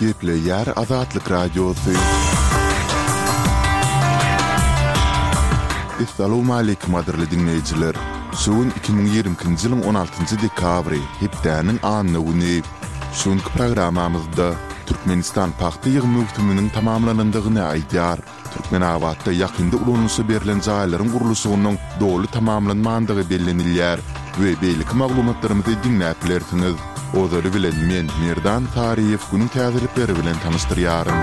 Gepleýär Azatlyk Radiosy. Essalawmaleýkim gadyrly diňleýjiler! Şu gün 2022-nji ýylyň 16-njy dekabry, hepdäniň anna güni. Şu günki programmamyzda Türkmenistan pagta ýygym möwsüminiň tamamlanandygyny aýdýar. Türkmenabatda ýakynda ulanylyşa berlen jaýlaryň gurluşygynyň doly tamamlanmandygy bellenilýär we beýleki maglumatlarymyzy diňläp bilersiňiz. Ozaly bilen men, Merdan Saryýew günüň täzelikleri bilen tanyşdyrýaryn.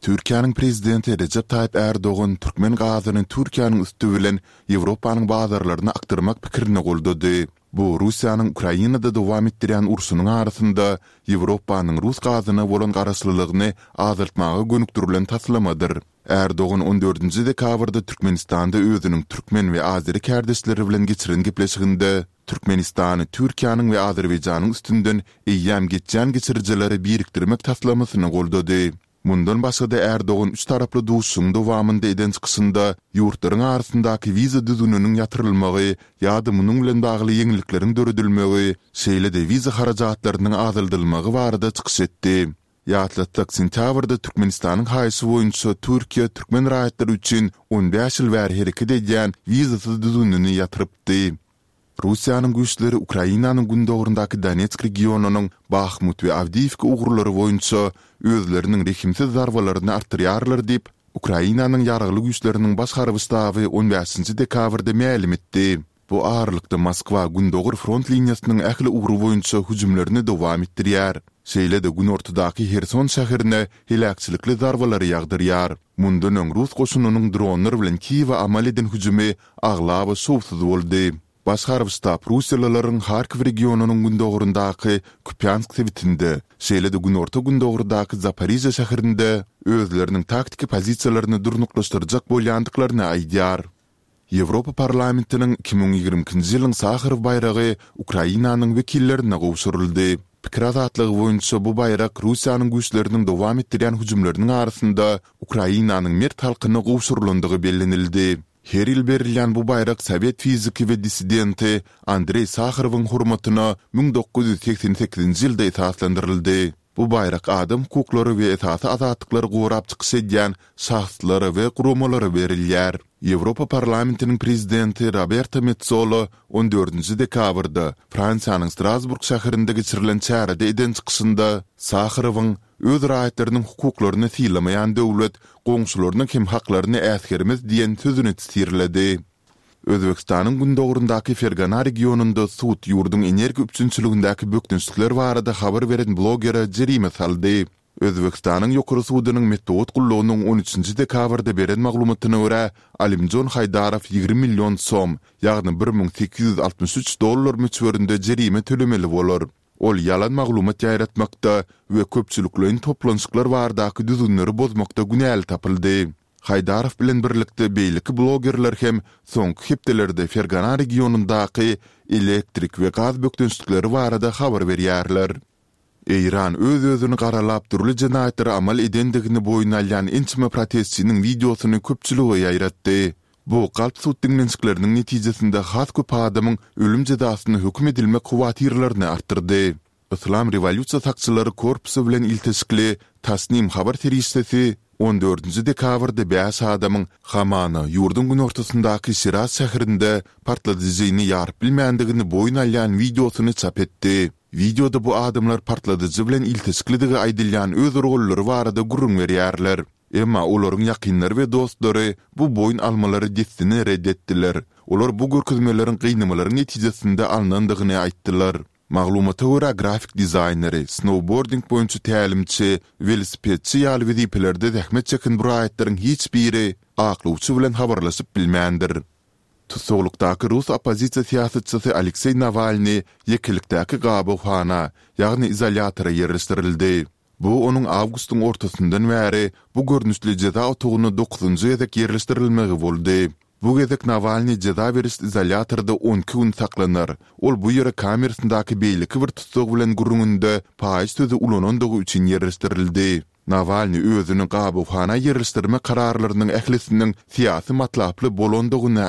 Türkiýäniň Prezidenti Rejep Taýyp Ärdogan türkmen gazyny Türkiýäniň üsti bilen Ýewropanyň bazarlaryna akdyrmak pikirini goldady. Bu Russiýanyň Ukrainada dowam etdirýän urşunyň arasynda Ýewropanyň rus gazyna bolan garaşlylygyny azaltmaga gönükdirilen taslamadyr. Ärdogan on dördünji dekabrda Türkmenistanda özüniň türkmen we azeri kärdeşleri bilen geçiren gepleşiginde Türkmenistany Türkiýäniň we Azerbaýjanyň üstünden eýýäm geçýän geçirijilere birikdirmek taslamasyny goldady. Mundan başga-da Ärdogan üç taraply duşuşygyň dowamynda eden çykyşynda ýurtlaryň arasyndaky wiza düzgüniniň ýatyrylmagy ýa-da munuň bilen bagly ýeňillikleriň döredilmegi, şeýle-de wiza harajatlarynyň azaldylmagy barada çykyş etdi. Ýatlatsak, sentýabrda Türkmenistanyň haýyşy boýunça Türkiýe türkmen raýatlary üçin on bäş ýyl bäri hereket edýän wizasyz düzgünini ýatyrypdy. Russiýanyň güýçleri Ukrainanyň gündogaryndaky Donetsk regionynyň Bahmut we Awdiýiwka ugurlary boýunça özleriniň rehimsiz zarbalaryny artdyrýarlar diýip, Ukrainanyň Ýaragly Güýçleriniň Baş harby ştaby on bäşinji dekabrda mälim etdi. Bu aralykda Moskwa gündogar front liniýasynyň ähli ugry boýunça hüjümlerini dowam etdirýär. Şeýle-de günortadaky Herson şäherine heläkçilikli zarbalary ýagdyrýar. Mundan öň rus goşunynyň dronlar bilen Kiýewe amal eden hüjümi aglaba şowsuz boldy. Baş harby ştab russiýalylaryň Harkow regionynyň gündogaryndaky Kupýansk sebitinde, şeýle-de günorta-gündogardaky Zaporižýa şäherinde özleriniň taktiki pozisiýalaryny durnuklaşdyrjak bolýandyklaryny aýdýar. Ýewropa Parlamentiniň 2022-nji ýylyň Saharow baýragy Ukrainanyň wekillerine gowşuryldy. Pikir azatlygy boýunça bu baýrak Russiýanyň güýçleriniň dowam etdirýän hüjümleriniň arasynda Ukrainanyň mert halkyna gowşurylandygy bellenildi. Her ýyl berilýän bu baýrak sowet fiziki we dissidenti Andreý Saharowyň hormatyna 1988-nji ýylda esaslandyryldy. Bu baýrak adam hukuklary we esasy azatlyklary gorap çykyş edýän şahslara we guramalara berilýär. Ýewropa Parlamentiniň Prezidenti Roberta Metsola on dördünji dekabrda Fransiýanyň Strasburg şäherinde geçirilen çärede eden çykyşynda Saharowyň Öz raýatlarynyň hukuklaryny sylamaýan döwlet goňşularynyň hem haklaryny äsgermez diýen sözüni tirledi. Özbegistanyň gündogaryndaky Fergana regionynda sud ýurduň energiýa üpjünçiligindäki bökdençlikler barada habar beren blogere jerime saldy. Özbegistanyň Ýokary sudunyň metbugat gullugynyň on üçünji dekabrda beren maglumatyna görä, Alimjon Haýdarow 20 million som, ýagny 1863 dollar möçberinde jerime tölemeli bolar. Ol ýalan maglumat ýaýratmakda we köpçülikleýin toplanyşyklar baradaky düzgünleri bozmakda günäli tapyldy. Haýdarow bilen birlikde beýleki blogerler hem soňky hepdelerde Fergana regionyndaky elektrik we gaz bökdençlikleri barada habar berýärler. Eýran öz-özüni garalap dürli jenaýatlary amal edendigini boýun alýan ençeme protestçiniň wideosyny köpçülige ýaýratdy. Bu galp sud diňlenişikleriniň netijesinde has köp adamyň ölüm jezasyna höküm edilmek howatyrlaryny artdyrdy. Yslam rewolýusiýa sakçylary korpusy bilen ilteşikli Tasnim habar serişdesi on dördünji dekabrda bäş adamyň hamana ýurduň günortasyndaky Şiraz şäherinde partladyjyny ýaryp bilmändigini boýun alýan wideosyny çap etdi. Wideoda bu adamlar partladyjy bilen ilteşiklidigi aýdylýan öz rollary barada gürrüň berýärler. Emma olaryň ýakynlary we dostlary bu boýun almalary dessine ret etdiler. Olar bu görkezmeleriň gynamalaryň netijesinde alnandygyny aýtdylar. Maglumata görä, grafik dizaýneri, snoubording boýunça tälimçi, welosipedçi ýaly wezipelerde zähmet çeken bu raýatlaryň hiç biri aklawçy bilen habarlaşyp bilmändir. Tussaglykdaky rus oppozisiýa syýasatçysy Alekseý Nawalnyý ýekelikdäki gabawhana, ýagny izolýatora ýerleşdirildi. Bu onuň awgustyň ortasyndan bäri bu görnüşli jeza otagyna dokuzynjy gezek ýerleşdirilmegi boldy. Bu gezek Nawalnyý jeza beriş izolýatorda on iki gün saklanar. Ol bu ýere kamerasyndaky beýleki bir tussag bilen gürrüňinde paýyş sözi ulanandygy üçin ýerleşdirildi. Nawalnyý özüni gabawhana ýerleşdirmek kararlarynyň ählisiniň syýasy matlaply bolandygyny.